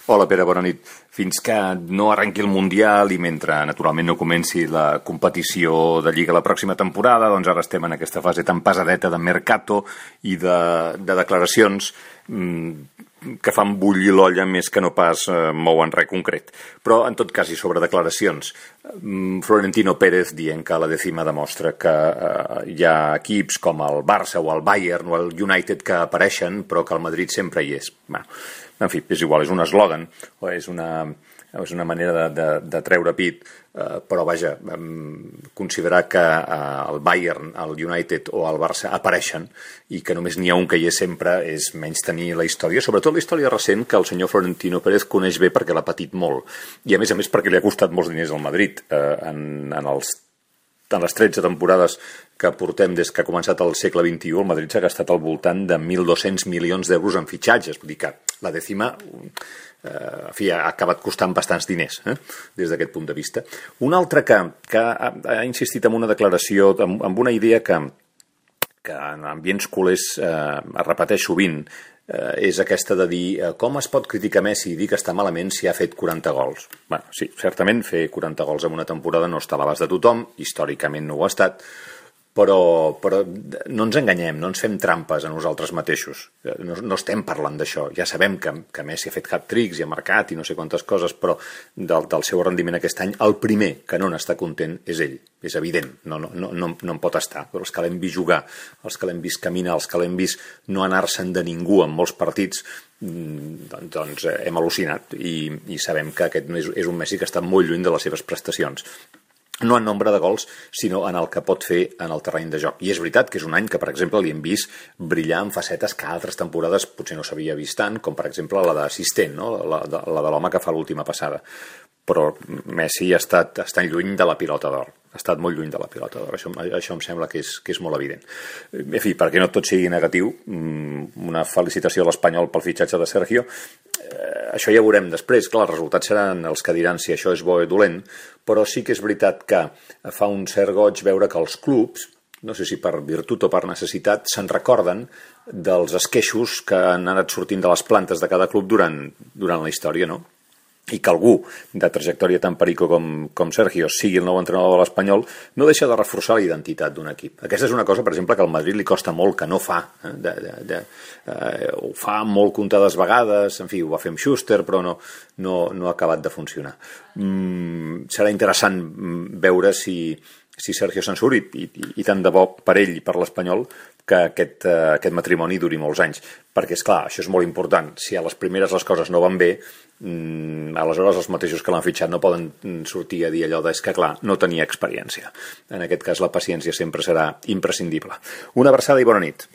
Hola, Pere, bona nit. Fins que no arrenqui el Mundial i mentre, naturalment, no comenci la competició de Lliga la pròxima temporada, doncs ara estem en aquesta fase tan pesadeta de mercato i de declaracions que fan bullir l'olla més que no pas mouen res concret. Però, en tot cas, i sobre declaracions, Florentino Pérez dient que la Décima demostra que hi ha equips com el Barça o el Bayern o el United que apareixen, però que el Madrid sempre hi és. Bueno, en fi, és igual, és un eslògan o és una manera de treure pit, però vaja, considerar que el Bayern, el United o el Barça apareixen i que només n'hi ha un que hi és sempre és menys tenir la història, sobretot la història recent que el senyor Florentino Pérez coneix bé perquè l'ha patit molt i a més perquè li ha costat molts diners al Madrid en les 13 temporades que portem des que ha començat el segle XXI, el Madrid s'ha gastat al voltant de 1.200 milions d'euros en fitxatges. Vull dir que la Décima ha acabat costant bastants diners, des d'aquest punt de vista. Un altre que ha insistit en una declaració, amb una idea que en ambients culers es repeteix sovint, és aquesta de dir com es pot criticar Messi i dir que està malament si ha fet 40 gols. Bé, sí, certament fer 40 gols en una temporada no està a l'abast de tothom, històricament no ho ha estat, però no ens enganyem, no ens fem trampes a nosaltres mateixos. No estem parlant d'això. Ja sabem que Messi ha fet hat-tricks i ha marcat i no sé quantes coses, però del seu rendiment aquest any, el primer que no n'està content és ell. És evident, no en pot estar. Però els que l'hem vist jugar, els que l'hem vist caminar, els que l'hem vist no anar-se'n de ningú en molts partits, doncs hem al·lucinat i sabem que aquest és un Messi que està molt lluny de les seves prestacions. No en nombre de gols, sinó en el que pot fer en el terreny de joc. I és veritat que és un any que, per exemple, li hem vist brillar en facetes que altres temporades potser no s'havia vist tant, com per exemple la d'assistent, no? la de l'home que fa l'última passada. Però Messi ha estat lluny de la pilota d'or. Ha estat molt lluny de la pilota d'or. Això em sembla que és molt evident. En fi, perquè no tot sigui negatiu, una felicitació a l'Espanyol pel fitxatge de Sergio. Això ja ho veurem després. Clar, els resultats seran els que diran si això és bo o dolent, però sí que és veritat que fa un cert goig veure que els clubs, no sé si per virtut o per necessitat, se'n recorden dels esqueixos que han anat sortint de les plantes de cada club durant la història, no? I que algú de trajectòria tan perico com Sergio sigui el nou entrenador de l'Espanyol no deixa de reforçar la identitat d'un equip. Aquesta és una cosa, per exemple, que al Madrid li costa molt, que no fa. Ho fa molt comptades vegades, en fi, ho va fer amb Schuster, però no ha acabat de funcionar. Serà interessant veure si Sergio se'n surt i tant de bo per ell i per l'Espanyol que aquest matrimoni duri molts anys. Perquè, esclar, això és molt important. Si a les primeres les coses no van bé, aleshores els mateixos que l'han fitxat no poden sortir a dir allò és que, clar, no tenia experiència. En aquest cas la paciència sempre serà imprescindible. Una abraçada i bona nit.